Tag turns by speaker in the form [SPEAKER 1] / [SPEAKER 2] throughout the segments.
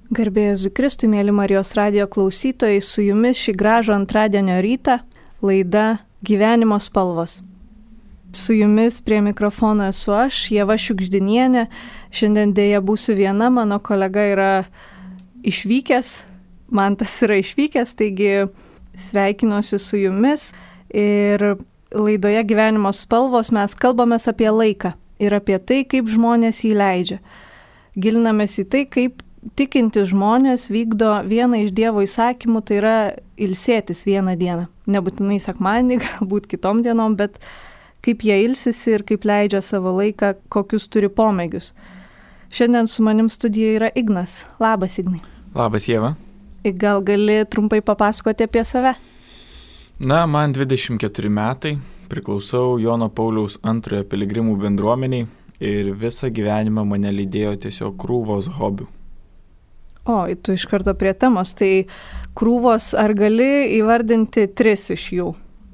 [SPEAKER 1] Garbė Jėzui Kristui, mėly Marijos radijo klausytojai, su jumis šį gražų antradienio rytą laida Gyvenimo spalvos. Su jumis prie mikrofono esu aš, Ieva Šiugždinienė. Šiandien dėja būsiu viena, mano kolega yra išvykęs, Mantas yra išvykęs, taigi sveikinuosi su jumis. Ir laidoje Gyvenimo spalvos mes kalbamės apie laiką ir apie tai, kaip žmonės jį leidžia. Gilinamės į tai, kaip tikinti žmonės vykdo vieną iš Dievo įsakymų, tai yra ilsėtis vieną dieną. Nebūtinai sekmadienį, galbūt kitom dienom, bet kaip jie ilsisi ir kaip leidžia savo laiką, kokius turi pomėgius. Šiandien su manim studijoje yra Ignas. Labas, Ignai.
[SPEAKER 2] Labas, Ieva.
[SPEAKER 1] Gal gali trumpai papasakoti apie save?
[SPEAKER 2] Na, man 24 metai, priklausau Jono Pauliaus antrojo piligrimų bendruomeniai ir visą gyvenimą mane lydėjo tiesiog krūvos hobių.
[SPEAKER 1] O, tu iš karto prie temos, tai krūvos, ar gali įvardinti 3 iš jų?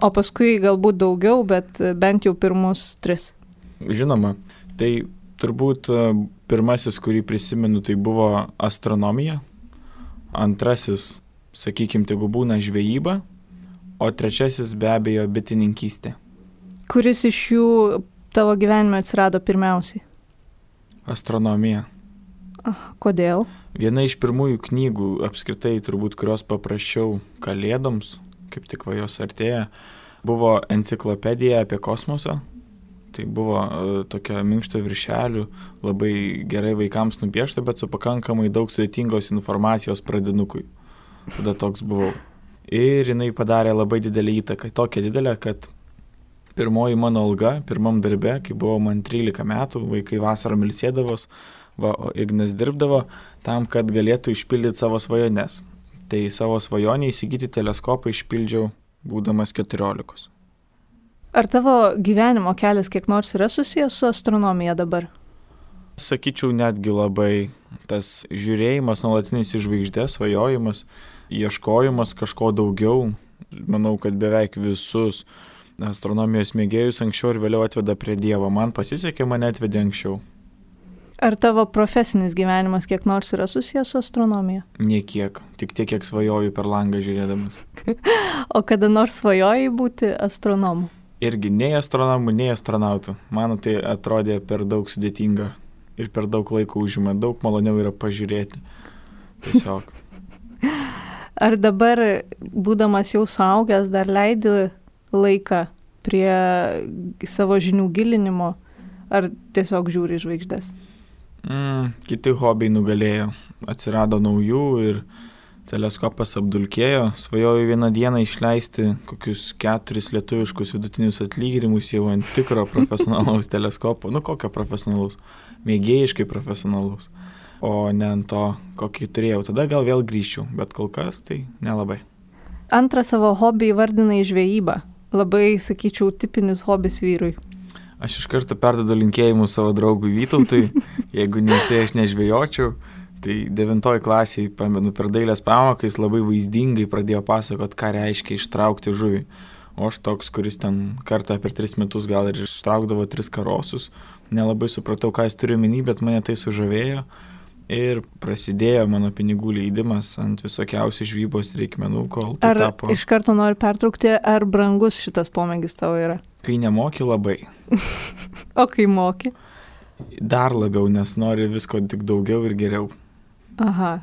[SPEAKER 1] O paskui galbūt daugiau, bet bent jau pirmus 3.
[SPEAKER 2] Žinoma, tai turbūt pirmasis, kurį prisimenu, tai buvo astronomija. Antrasis, sakykime, tegu būna žvejyba. O trečiasis be abejo bitininkystė.
[SPEAKER 1] Kuris iš jų tavo gyvenime atsirado pirmiausiai?
[SPEAKER 2] Astronomija.
[SPEAKER 1] Kodėl?
[SPEAKER 2] Viena iš pirmųjų knygų, apskritai turbūt, kurios paprašiau kalėdoms, kaip tik va jos artėja, buvo enciklopedija apie kosmosą. Tai buvo tokia minkšto viršelių, labai gerai vaikams nupiešta, bet su pakankamai daug sudėtingos informacijos pradinukui. Tada toks buvau. Ir jinai padarė labai didelį įtaką. Tokia didelė, kad pirmoji mano alga, pirmam darbe, kai buvo man 13 metų, vaikai vasarą ilsėdavos, o Ignas dirbdavo tam, kad galėtų išpildyti savo svajones. Tai savo svajonę įsigyti teleskopą išpildžiau būdamas 14.
[SPEAKER 1] Ar tavo gyvenimo kelias kiek nors yra susijęs su astronomija dabar?
[SPEAKER 2] Sakyčiau, netgi labai tas žiūrėjimas nuolatinis į žvaigždės, svajojimas, ieškojimas kažko daugiau. Manau, kad beveik visus astronomijos mėgėjus anksčiau ir vėliau atveda prie Dievo. Man pasisekė, mane atvedė anksčiau.
[SPEAKER 1] Ar tavo profesinis gyvenimas kiek nors yra susijęs su astronomija?
[SPEAKER 2] Niekiek, tik tiek, kiek svajoju per langą žiūrėdamas.
[SPEAKER 1] O kada nors svajojai būti astronomu?
[SPEAKER 2] Irgi nei astronomų, nei astronautų. Man tai atrodė per daug sudėtinga ir per daug laiko užima. Daug maloniau yra pažiūrėti. Tiesiog.
[SPEAKER 1] Ar dabar, būdamas jau suaugęs, dar leidi laiką prie savo žinių gilinimo, ar tiesiog žiūri žvaigždės?
[SPEAKER 2] Kiti hobiai nugalėjo. Atsirado naujų ir teleskopas apdulkėjo. Svajoju vieną dieną išleisti kokius 4 lietuviškus vidutinius atlyginimus jau ant tikro profesionalaus teleskopo. Kokio profesionalaus? Mėgėjiškai profesionalaus. O ne ant to, kokį turėjau. Tada gal vėl grįžčiau, bet kol kas tai nelabai.
[SPEAKER 1] Antrą savo hobį įvardinai žvejybą. Labai, sakyčiau, tipinis hobis vyrui.
[SPEAKER 2] Aš iš karto perdodu linkėjimus savo draugui Vytautui. Jeigu aš nežvejočiau, tai 9 klasėje, pamenu, per dailės pamoką jis labai vaizdingai pradėjo pasakot, ką reiškia ištraukti žuvį. O aš toks, kuris ten kartą per 3 metus gal ir ištraukdavo 3 karosus. Nelabai supratau, ką jis turi omeny, bet mane tai sužavėjo. Ir prasidėjo mano pinigų leidimas ant visokiausių žvybos reikmenų, kol tai tapo.
[SPEAKER 1] Ar iš karto noriu pertraukti, ar brangus šitas pomėgis tavo yra?
[SPEAKER 2] Kai nemoki, labai.
[SPEAKER 1] O kai moki?
[SPEAKER 2] Dar labiau, nes nori visko tik daugiau ir geriau.
[SPEAKER 1] Aha.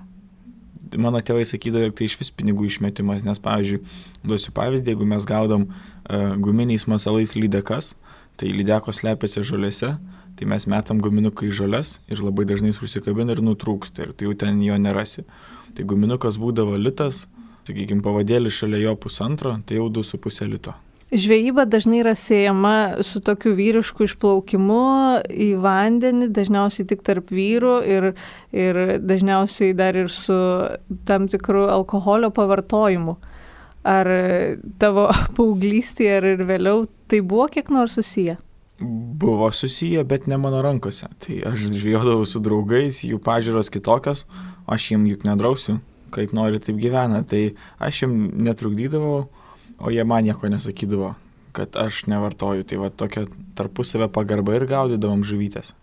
[SPEAKER 2] Mano tėvai sakydavo, jog tai iš vis pinigų išmetimas, nes, pavyzdžiui, duosiu pavyzdį, jeigu mes gaudom guminiais masalais lydekas, tai lydekos slepiasi žolėse, tai mes metam guminuką į žoles ir labai dažnai užsikabina ir nutrūksta ir tai jau ten jo nerasi. Tai guminukas būdavo litas, sakykime, pavadėlis šalia jo 1,5, tai jau 2,5 lito.
[SPEAKER 1] Žvejyba dažnai yra siejama su tokiu vyrišku išplaukimu į vandenį, dažniausiai tik tarp vyrų ir dažniausiai dar ir su tam tikru alkoholio pavartojimu. Ar tavo paauglystėje ar ir vėliau tai buvo kiek nors susiję?
[SPEAKER 2] Buvo susiję, bet ne mano rankose. Tai aš žvejodavau su draugais, jų pažiūros kitokios, aš jiem juk nedrausiu, kaip nori taip gyvena. Tai aš jiem netrukdydavau, o jie man nieko nesakydavo, kad aš nevartoju. Tai va tokia tarpusavę pagarba ir gaudydavom žuvytės.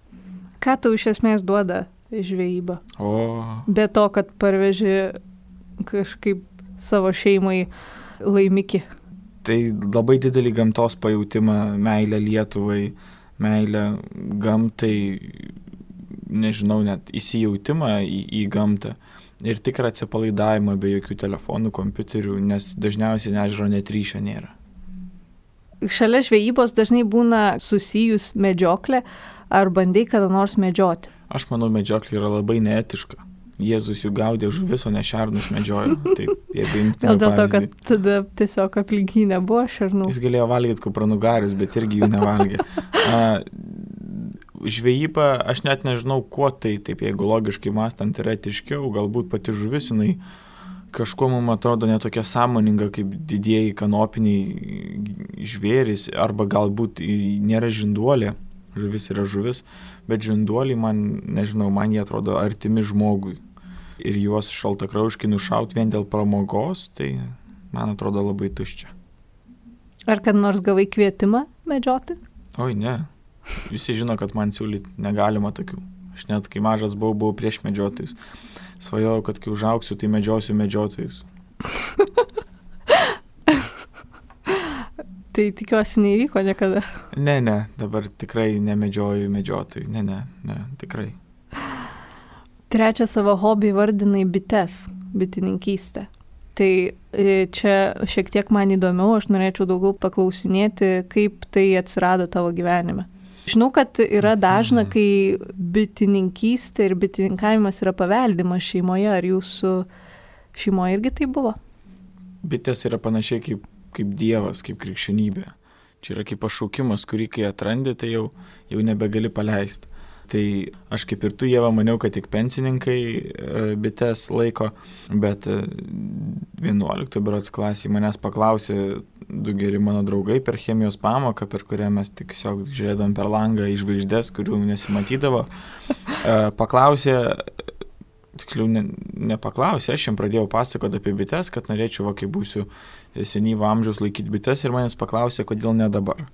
[SPEAKER 1] Ką tau iš esmės duoda žvejybą.
[SPEAKER 2] O.
[SPEAKER 1] Be to, kad parveži kažkaip savo šeimai laimikį.
[SPEAKER 2] Tai labai didelį gamtos pajautimą, meilę Lietuvai, meilę gamtai, nežinau, net įsijautimą į gamtą ir tikrą atsipalaidavimą be jokių telefonų, kompiuterių, nes dažniausiai ežero net ryšio nėra.
[SPEAKER 1] Šalia žvejybos dažnai būna susijus medžioklė, ar bandai kada nors medžioti?
[SPEAKER 2] Aš manau, medžioklė yra labai neetiška. Jėzus jų gaudė žuvis, o ne šernus medžiojo. Taip, jeigu imtume
[SPEAKER 1] Dėl to,
[SPEAKER 2] pavyzdį.
[SPEAKER 1] kad tada tiesiog aplink jį nebuvo šernų.
[SPEAKER 2] Jis galėjo valgyti kupranugarius, bet irgi jų nevalgė. Žvejyba, aš net nežinau, kuo tai, taip, jeigu logiškai mąstant yra etiškiau, galbūt pati žuvis, jinai kažkuo mums atrodo netokia sąmoninga kaip didieji kanopiniai žvėrys, arba galbūt nėra žinduolė, žuvis yra žuvis, bet žinduoliai man, nežinau, man jie atrodo artimi žmogui. Ir juos šaltakrauškai nušaut vien dėl pramogos, tai man atrodo labai tuščia.
[SPEAKER 1] Ar kad nors gavai kvietimą medžioti?
[SPEAKER 2] Oi, ne. Visi žino, kad man siūlyti negalima tokių. Aš net kai mažas buvau prieš medžiotojus. Svajojau, kad kai užaugsiu, tai medžiosiu medžiotojus.
[SPEAKER 1] Tai tikiuosi neįvyko niekada.
[SPEAKER 2] Ne, dabar tikrai nemedžioju medžiotojų. Ne, tikrai.
[SPEAKER 1] Trečią savo hobį vardinai bites, bitininkystę. Tai čia šiek tiek man įdomiau, aš norėčiau daugiau paklausinėti, kaip tai atsirado tavo gyvenime. Žinau, kad yra dažna, kai bitininkystė ir bitininkavimas yra paveldimas šeimoje. Ar jūsų šeimoje irgi tai buvo?
[SPEAKER 2] Bitės yra panašiai kaip Dievas, kaip krikščionybė. Čia yra kaip pašaukimas, kurį kai atrandi, tai jau nebegali paleisti. Tai aš kaip ir tu, Ieva, maniau, kad tik pensininkai bites laiko, bet 11 berods klasėje manęs paklausė 2 geri mano draugai per chemijos pamoką, per kurią mes tiesiog žiūrėdavom per langą į žvaigždes, kurių nesimatydavo. Paklausė, tiksliau nepaklausė, aš jam pradėjau pasakoti apie bites, kad norėčiau, kai būsiu senyvo amžiaus laikyti bites, ir manęs paklausė, kodėl ne dabar.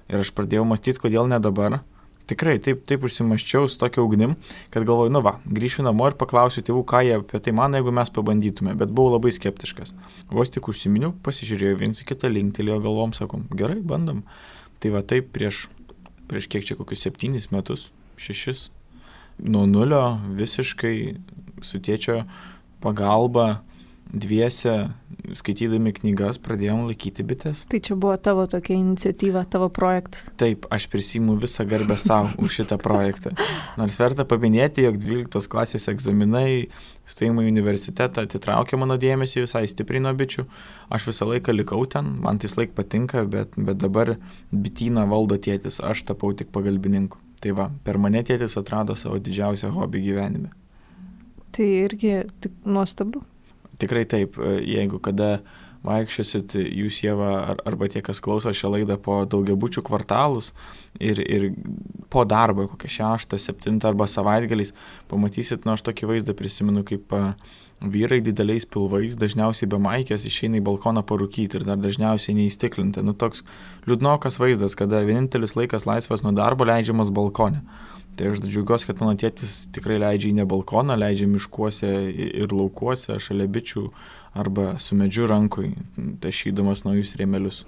[SPEAKER 2] Ir aš pradėjau mąstyti, kodėl ne dabar. Tikrai taip užsimaščiau su tokia ugnim, kad galvoju, grįšiu namo ir paklausiu tėvų, ką jie apie tai mano, jeigu mes pabandytume, bet buvau labai skeptiškas. Vos tik užsiminiau, pasižiūrėjau viens į kitą, linktelėjo galvom, sakom, gerai, bandom. Tai va taip prieš kiek čia kokius 7 metus, 6, nuo nulio visiškai su tėčio pagalba dviese, skaitydami knygas, pradėjom laikyti bites.
[SPEAKER 1] Tai čia buvo tavo tokia iniciatyva, tavo projektas.
[SPEAKER 2] Taip, aš prisiimu visą garbę savo už šitą projektą. Nors verta paminėti, jog 12 klasės egzaminai, stojimo į universitetą atitraukė mano dėmesį visai stipriai nuo bičių. Aš visą laiką likau ten, man tai laik patinka, bet dabar bityną valdo tėtis, aš tapau tik pagalbininku. Tai va, per mane tėtis atrado savo didžiausią hobį gyvenime.
[SPEAKER 1] Tai irgi tik nuostabu.
[SPEAKER 2] Tikrai taip, jeigu kada vaikščiosit jūs, Ieva, arba tie, kas klauso šią laidą po daugiabučių kvartalus ir po darbo, kokią 6, 7 arba savaitgaliais, pamatysit, aš tokį vaizdą prisimenu, kaip vyrai dideliais pilvais, dažniausiai be maikės, išeina į balkoną parūkyti ir dar dažniausiai neįstiklinti. Toks liūdnokas vaizdas, kada vienintelis laikas laisvas nuo darbo leidžiamas balkone. Tai aš džiaugiuosi, kad mano tėtis tikrai leidžia į ne balkoną, leidžia miškuose ir laukuose, šalia bičių arba su medžiu rankui, tašydamas naujus rėmelius.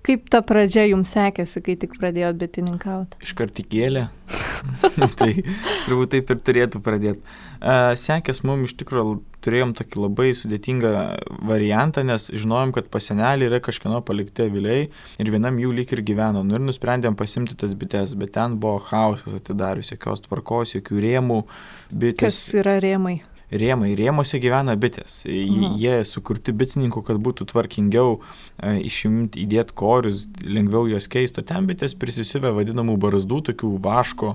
[SPEAKER 1] Kaip ta pradžia jums sekėsi, kai tik pradėjot bitininkauti?
[SPEAKER 2] Iškart įkėlė. Tai turbūt taip ir turėtų pradėti. Sekės mums iš tikrųjų turėjom tokį labai sudėtingą variantą, nes žinojom, kad pas senelį yra kažkieno palikti aviliai ir vienam jų lyg ir gyveno. Ir nusprendėm pasimti tas bites, bet ten buvo chaosas atidarius, jokios tvarkos, jokių rėmų. Bitės.
[SPEAKER 1] Kas yra rėmai?
[SPEAKER 2] Rėmuose gyvena bitės. Jie sukurti bitininkų, kad būtų tvarkingiau išimti, įdėti korius, lengviau juos keisti. Ten bitės prisisiuvę vadinamų barzdų, tokių vaško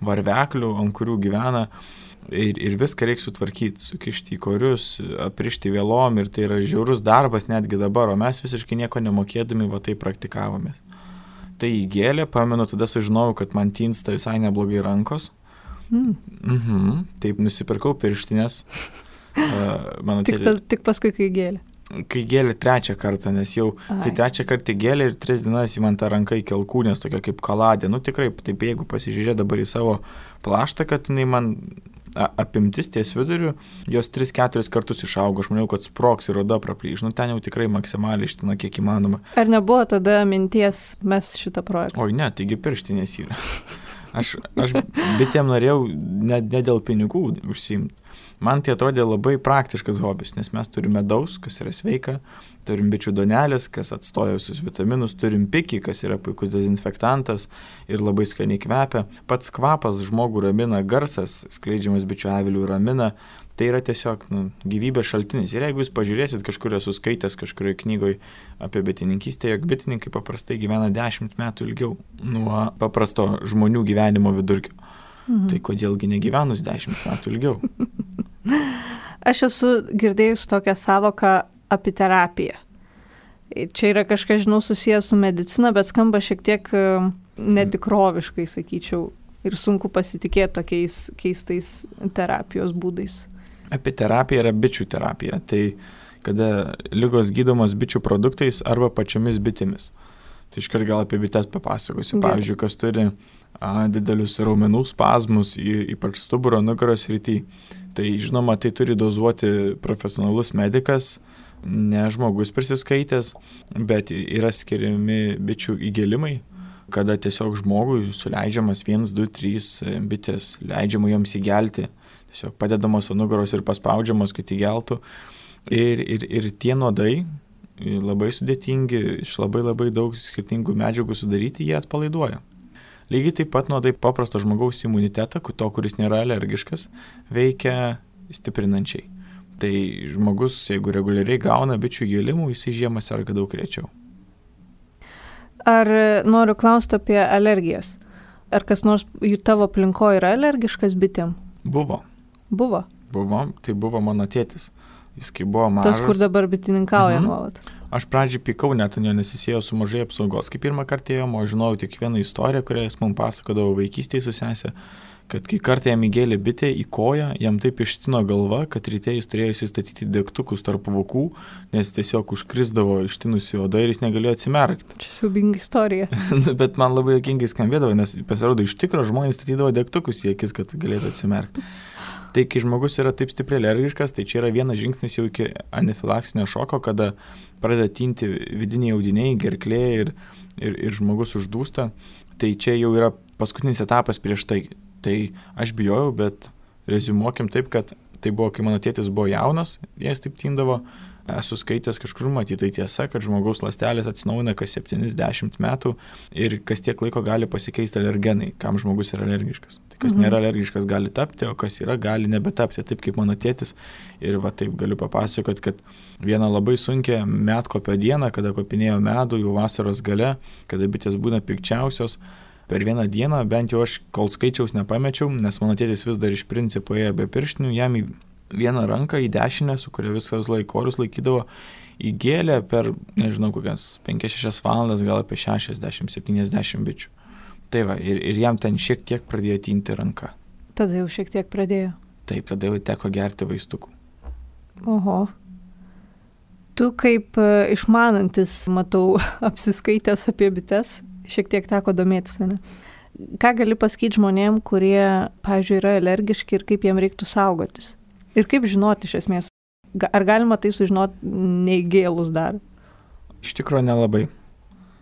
[SPEAKER 2] varveklių, ant kurių gyvena. Ir viską reikia sutvarkyti, sukišti į korius, aprišti vėlom, ir tai yra žiaurus darbas netgi dabar, o mes visiškai nieko nemokėdami va tai praktikavomės. Tai įgėlė, pamenu, tada sužinojau, kad man tinsta visai neblogai rankos. Taip, nusipirkau pirštinės.
[SPEAKER 1] Tik paskui, kai gėlė.
[SPEAKER 2] kai gėlė trečią kartą, nes jau kai trečią kartą gėlė ir 3 dienas į man tą ranką į kelkūnės, tokia kaip kaladė. Nu tikrai, taip jeigu pasižiūrė dabar į savo plaštą, kad jinai man apimtis ties viduriu, jos 3-4 kartus išaugo, aš maniau, kad sprogs ir oda praplyš. Nu ten jau tikrai maksimaliai iština, kiek įmanoma.
[SPEAKER 1] Ar nebuvo tada minties mes šitą projektą?
[SPEAKER 2] Oi ne, taigi pirštinės yra. Aš bitėm norėjau ne dėl pinigų užsiimti. Man tai atrodė labai praktiškas hobis, nes mes turim medaus, kas yra sveika, turim bičių duonelės, kas atstoja visus vitaminus, turim pikį, kas yra puikus dezinfektantas ir labai skaniai kvepia. Pats kvapas žmogų ramina, garsas skleidžiamas bičių avilių ramina, tai yra tiesiog gyvybės šaltinis. Ir jeigu jūs pažiūrėsit, kažkur esu skaitęs kažkurioje knygoje apie bitininkystę, jog bitininkai paprastai gyvena 10 metų ilgiau nuo paprasto žmonių gyvenimo vidurkio. Tai kodėlgi negyvenus 10 metų ilgiau?
[SPEAKER 1] Aš esu girdėjus tokią savoką apiterapiją. Čia yra kažkas, žinau, susijęs su medicina, bet skamba šiek tiek netikroviškai, sakyčiau, ir sunku pasitikėti tokiais keistais terapijos būdais.
[SPEAKER 2] Apiterapija yra bičių terapija, tai kada ligos gydomos bičių produktais arba pačiomis bitėmis. Tai iškart gal apie bites papasakosiu. Pavyzdžiui, kas turi didelius raumenų spazmus, ypač stuburo nugaros srity. Tai žinoma, tai turi dozuoti profesionalus medikas, ne žmogus prisiskaitęs, bet yra skiriami bičių įgėlimai, kada tiesiog žmogui suleidžiamas 1, 2, 3 bitės, leidžiama joms įgelti, tiesiog padedamos ant nugaros ir paspaudžiamos, kad įgeltų. Ir tie nuodai labai sudėtingi, iš labai daug skirtingų medžiagų sudaryti, jie atpalaiduoja. Lygiai taip pat nuodai paprasto žmogaus imunitetą, to, kuris nėra alergiškas, veikia stiprinančiai. Tai žmogus, jeigu reguliariai gauna bičių įgėlimų, jisai žiemą serga daug rečiau.
[SPEAKER 1] Ar noriu klausti apie alergijas? Ar kas nors tavo aplinkoje yra alergiškas bitėm?
[SPEAKER 2] Buvo, tai buvo mano tėtis. Jis kai buvo mažas.
[SPEAKER 1] Tas, kur dabar bitininkauja nuolat.
[SPEAKER 2] Aš pradžiai pykau, net jo nesisėjo su mažai apsaugos. Kai pirmą kartą ėjom, aš žinojau tik vieną istoriją, kurią jis man pasakodavo vaikystėje su sesė, kad kai kartą jam įgėlė bitė į koją, jam taip ištino galva, kad ryte jis turėjo įsistatyti degtukus tarp vokų, nes tiesiog užkrisdavo ištinusi oda ir jis negalėjo atsimerkti.
[SPEAKER 1] Čia siaubinga istorija.
[SPEAKER 2] Bet man labai juokingai skambėdavo, nes pasirodo iš tikro žmonės statydavo degtukus į akis, kad galėtų atsimerkti. Tai kai žmogus yra taip stipriai alergiškas, tai čia yra vienas žingsnis jau iki anafilaksinio šoko, kada pradeda tinti vidiniai audiniai, gerklė ir žmogus uždūsta. Tai čia jau yra paskutinis etapas prieš tai. Tai aš bijojau, bet reziumuokim taip, kad tai buvo, kai mano tėtis buvo jaunas, jis taip tindavo. Esu skaitęs kažkur matytai tiesa, kad žmogaus ląstelės atsinaujina kas 70 metų ir kas tiek laiko gali pasikeisti alergenai, kam žmogus yra alergiškas. Tai kas nėra alergiškas gali tapti, o kas yra gali nebetapti, taip kaip mano tėtis. Ir va taip galiu papasakoti, kad vieną labai sunkią medkopio dieną, kada kopinėjo medų jau vasaros gale, kada bitės būna pikčiausios, per vieną dieną, bent jau aš kol skaičiaus nepamečiau, nes mano tėtis vis dar iš principo ėjo be pirštinių, jam į vieną ranką, į dešinę, su kuria viskas orus laikydavo, įgėlė per, nežinau, kokias 5-6 valandas, gal apie 60-70 bičių. Tai va, ir jam ten šiek tiek pradėjo tinti ranka.
[SPEAKER 1] Tada jau šiek tiek pradėjo.
[SPEAKER 2] Taip, tada jau teko gerti vaistukų.
[SPEAKER 1] Oho. Tu kaip išmanantis, matau, apsiskaitęs apie bites, šiek tiek teko domėtis, ne? Ką gali pasakyti žmonėm, kurie, pavyzdžiui, yra alergiški ir kaip jiem reiktų saugotis? Ir kaip žinoti iš esmės? Ar galima tai sužinoti neįgėlus dar?
[SPEAKER 2] Iš tikrųjų nelabai.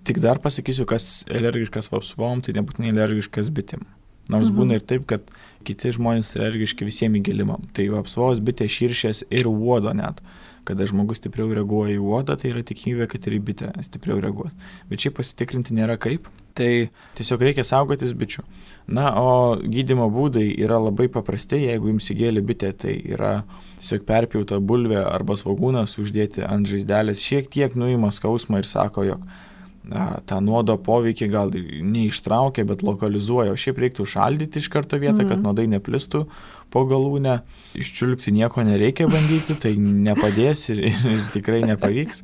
[SPEAKER 2] Tik dar pasakysiu, kas alergiškas vapsvom, tai nebūtinai alergiškas bitėm. Nors būna ir taip, kad kiti žmonės alergiški visiems įgėlimam. Tai vapsvos, bitė, širšės ir uodo net. Kada žmogus stipriau reaguoja į uodą, tai yra tikimybė, kad ir į bitę stipriau reaguos. Bet šiaip pasitikrinti nėra kaip. Tai tiesiog reikia saugotis bičių. Na, o gydymo būdai yra labai paprasti, jeigu jums įgėlė bitė, tai yra tiesiog perpjauta bulvė arba svogūnas uždėti ant žaizdelės, šiek tiek nuima skausmą ir sako, jog tą nuodo poveikį gal neištraukia, bet lokalizuoja, o šiaip reiktų šaldyti iš karto vietą, kad nuodai neplistų po galūnę. Iščiulpti nieko nereikia bandyti, tai nepadės ir tikrai nepavyks.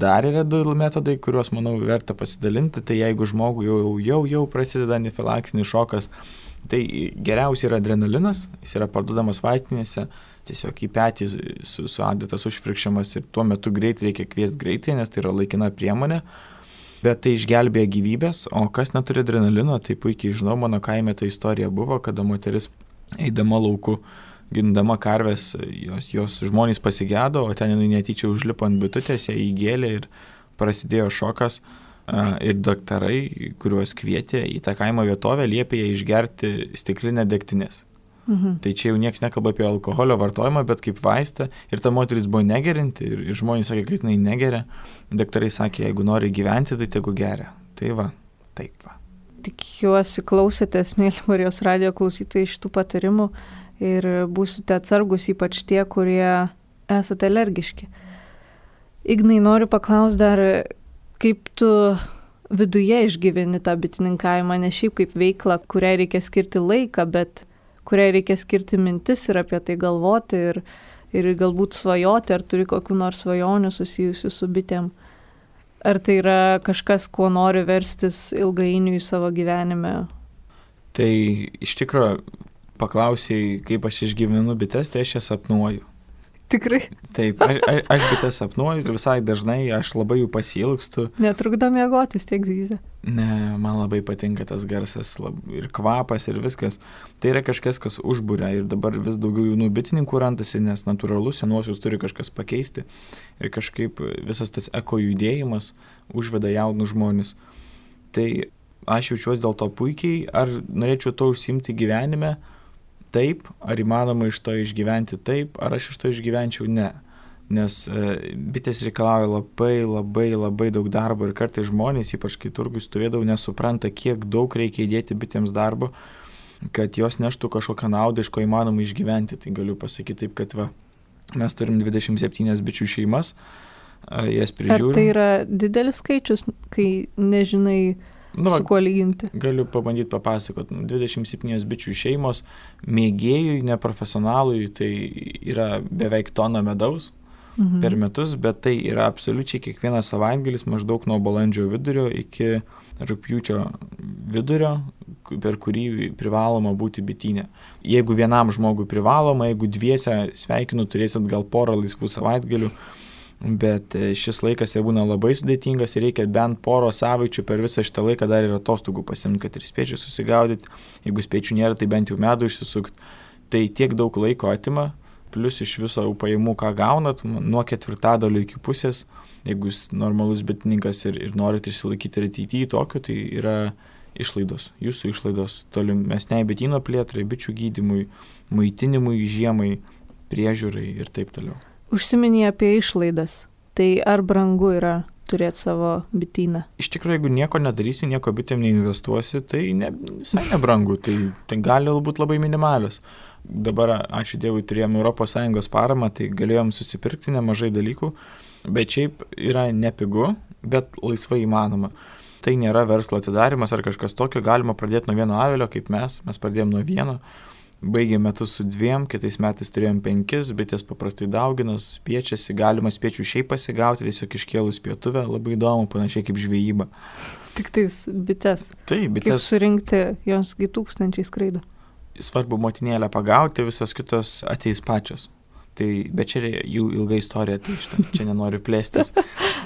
[SPEAKER 2] Dar yra 2 metodai, kuriuos, manau, verta pasidalinti. Tai jeigu žmogui jau prasideda anafilaksinis šokas, Tai geriausia yra adrenalinas, jis yra parduodamas vaistinėse, tiesiog į petį suadatas užfrikščiamas ir tuo metu greitai reikia kviesti greitai, nes tai yra laikina priemonė, bet tai išgelbėja gyvybės, o kas neturi adrenalino, tai puikiai žinau, mano kaime ta istorija buvo, kada moteris eidama lauku, gindama karves, jos žmonės pasigėdo, o ten netyčia užlipo ant bitutės, ją įgėlė ir prasidėjo šokas. Ir daktarai, kuriuos kvietė į tą kaimo vietovę, liepė ją išgerti stiklinę degtinės. Tai čia jau niekas nekalba apie alkoholio vartojimą, bet kaip vaistą. Ir ta moteris buvo negerinti ir žmonės sakė, kad jinai negeria. Daktarai sakė, jeigu nori gyventi, tai tegu geria. Tai va, taip va.
[SPEAKER 1] Tikiuosi klausėtės, mėly Marijos radijo klausytojai, šitų patarimų ir būsite atsargus, ypač tie, kurie esate alergiški. Ignai, noriu paklausti dar, kaip tu viduje išgyveni tą bitininkavimą, ne šiaip kaip veiklą, kuriai reikia skirti laiką, bet kuriai reikia skirti mintis ir apie tai galvoti ir galbūt svajoti, ar turi kokių nors svajonių susijusių su bitėm. Ar tai yra kažkas, kuo nori verstis ilgainiui savo gyvenime?
[SPEAKER 2] Tai iš tikrųjų paklausėjai, kaip aš išgyvenu bites, tai aš jas sapnuoju.
[SPEAKER 1] Tikrai?
[SPEAKER 2] Taip, aš bites sapnuoju ir visai dažnai aš labai jų pasiilgstu.
[SPEAKER 1] Netrukdo miegoti, vis tiek zyzia.
[SPEAKER 2] Ne, man labai patinka tas garsas ir kvapas ir viskas. Tai yra kažkas, kas užburia ir dabar vis daugiau jaunų bitininkų randasi, nes natūralu, senuosius turi kažkas pakeisti ir kažkaip visas tas eko judėjimas užveda jaunus žmonės. Tai aš jaučiuosi dėl to puikiai, ar norėčiau to užsiimti gyvenime? Taip, ar įmanoma iš to išgyventi taip, ar aš iš to išgyvenčiau? Ne. Nes bitės reikalauja labai daug darbo ir kartais žmonės, ypač kai turgui stovėdavau, nesupranta, kiek daug reikia įdėti bitėms darbo, kad jos neštų kažkokią naudą, iš ko įmanoma išgyventi. Tai galiu pasakyti taip, kad mes turim 27 bičių šeimas, jas prižiūrim.
[SPEAKER 1] Ar tai yra didelis skaičius, kai nežinai, su kuo lyginti?
[SPEAKER 2] Galiu pabandyti papasakot. 27 bičių šeimos, mėgėjui, neprofesionalui, tai yra beveik tona medaus per metus, bet tai yra absoliučiai kiekvienas savaitgalis maždaug nuo balandžio vidurio iki rugpjūčio vidurio, per kurį privaloma būti bityne. Jeigu vienam žmogui privaloma, jeigu dviese sveikinu, turėsit gal porą laisvų savaitgalių, bet šis laikas jau būna labai sudėtingas ir reikia bent poro savaičių per visą šitą laiką dar ir atostogų pasimti, kad ir spėčių susigaudyti. Jeigu spėčių nėra, tai bent jau medų išsisukti. Tai tiek daug laiko atima, plus iš viso pajamų, ką gaunat, nuo 1/4 iki pusės. Jeigu jūs normalus bitininkas ir norit išsilaikyti ir ateityje tokio, tai yra išlaidos. Jūsų išlaidos tolimesniai bityno plėtrai, bičių gydymui, maitinimui, žiemai, priežiūrai ir taip toliau.
[SPEAKER 1] Užsiminė apie išlaidas. Tai ar brangu yra turėti savo bityną? Iš
[SPEAKER 2] tikrųjų, jeigu nieko nedarysi, nieko bitėm neinvestuosi, tai visai nebrangu. Tai gali būti labai minimalios. Dabar, ačiū Dievui, turėjom ES paramą, tai galėjom susipirkti nemažai dalykų, bet šiaip yra nepigu, bet laisvai įmanoma. Tai nėra verslo atidarimas ar kažkas tokio, galima pradėti nuo vieno avilio, kaip mes pradėjom nuo vieno. Baigėm metus su 2, kitais metais turėjom 5, bitės paprastai dauginas, spiečiasi, galima spiečių šiaip pasigauti, tiesiog iškėlus pietuvę, labai įdomu, panašiai kaip žvejyba.
[SPEAKER 1] Tik tais bites.
[SPEAKER 2] Taip, bites.
[SPEAKER 1] Kaip surinkti, josgi tūkstančiai skraido.
[SPEAKER 2] Svarbu motinėlę pagauti, visos kitos ateis pačios. Tai, bet čia jų ilga istorija, tai čia nenoriu plėstis.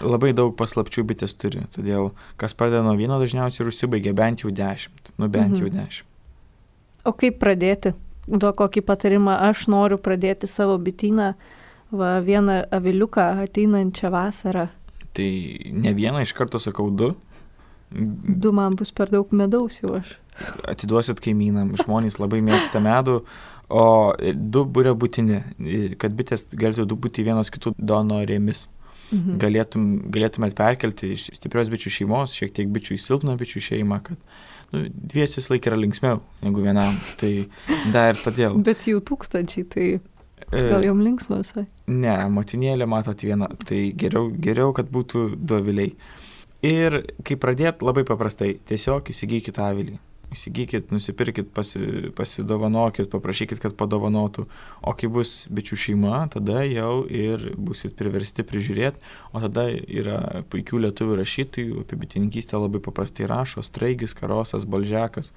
[SPEAKER 2] Labai daug paslapčių bitės turi, todėl kas pradeda nuo 1 dažniausiai ir užsibaigia bent jau 10. Bent jau 10.
[SPEAKER 1] O kaip pradėti? Duok kokį patarimą, aš noriu pradėti savo bityną, vieną aviliuką ateinančią vasarą.
[SPEAKER 2] Tai ne vieną, iš karto sakau 2.
[SPEAKER 1] 2 man bus per daug medaus jau aš.
[SPEAKER 2] Atiduosit kaimynam, žmonės labai mėgsta medų, o 2 būrė būtini, kad bitės galėtų būti vienos kitų donorėmis. Galėtumėt perkelti iš stiprios bičių šeimos, šiek tiek bičių į silpną bičių šeimą, kad dviesi vis laik yra linksmiau negu vienam, tai dar ir todėl.
[SPEAKER 1] Bet jų tūkstančiai, tai gal jom linksma visai?
[SPEAKER 2] Ne, motinėlė matot viena, tai geriau, kad būtų 2 aviliai. Ir kai pradėt, labai paprastai, tiesiog įsigykit avilį. Įsigykit, nusipirkit, pasidovanokit, paprašykit, kad padovanotų. O kai bus bičių šeima, tada jau ir busit priversti prižiūrėti, o tada yra puikių lietuvių rašytojų, apie bitininkystę labai paprastai rašo, Straigis, Karosas, Balžekas.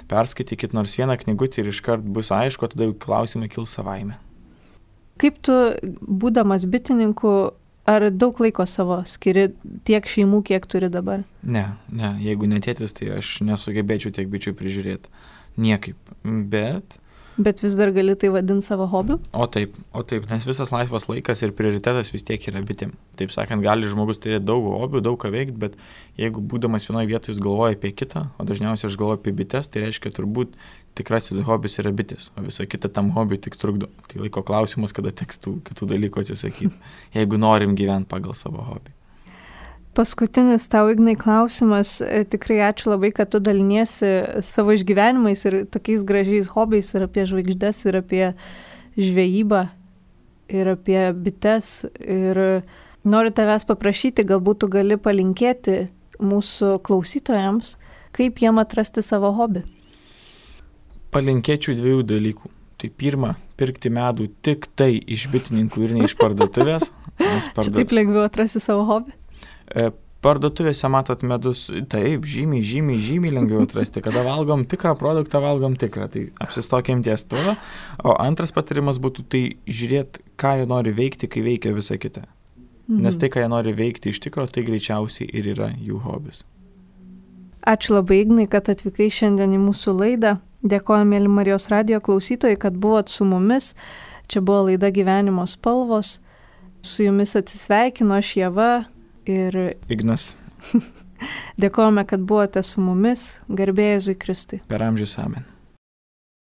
[SPEAKER 2] perskaitykit nors vieną knygutį ir iškart bus aišku, tada jau klausimai kils savaime.
[SPEAKER 1] Kaip tu, būdamas bitininku, ar daug laiko savo skiri tiek šeimų, kiek turi dabar?
[SPEAKER 2] Ne, jeigu netėtis, tai aš nesugebėčiau tiek bičių prižiūrėti. Niekaip,
[SPEAKER 1] Bet vis dar gali tai vadinti savo hobiu?
[SPEAKER 2] O taip, nes visas laisvas laikas ir prioritetas vis tiek yra bitėm. Taip sakant, gali žmogus turėti daug hobių, daug ką veikti, bet jeigu būdamas vienoje vietoje jis galvoja apie kitą, o dažniausiai aš galvoju apie bites, tai reiškia turbūt tikrasis hobis yra bitės, o visa kita tam hobiui tik trukdo. Tai laiko klausimas, kada teks tų kitų dalykų atsisakyti, jeigu norim gyventi pagal savo hobį.
[SPEAKER 1] Paskutinis tau, Ignai, klausimas. Tikrai ačiū labai, kad tu daliniesi savo išgyvenimais ir tokiais gražiais hobiais ir apie žvaigždes, ir apie žvejybą, ir apie bites. Ir noriu tavęs paprašyti, galbūt tu gali palinkėti mūsų klausytojams, kaip jiem atrasti savo hobį.
[SPEAKER 2] Palinkėčiau 2 dalykų. Tai pirma, pirkti medų tik tai iš bitininkų ir ne iš parduotuvės.
[SPEAKER 1] Čia taip lengviau atrasti savo hobį?
[SPEAKER 2] Parduotuvėse matot medus, taip, žymiai lengviau atrasti. Kada valgom tikrą produktą, valgom tikrą. Tai apsistokim ties tuo. O antras patarimas būtų tai žiūrėti, ką jie nori veikti, kai veikia visa kita. Nes tai, ką jie nori veikti iš tikro, tai greičiausiai ir yra jų hobis.
[SPEAKER 1] Ačiū labai, Ignai, kad atvykai šiandien į mūsų laidą. Dėkoju, mėly Marijos radijo klausytojai, kad buvot su mumis. Čia buvo laida Gyvenimo spalvos. Su jumis atsisveikino aš, Ieva ir
[SPEAKER 2] Ignas.
[SPEAKER 1] Dėkojame, kad buvote su mumis. Garbė Jėzui Kristui.
[SPEAKER 2] Per amžius amen.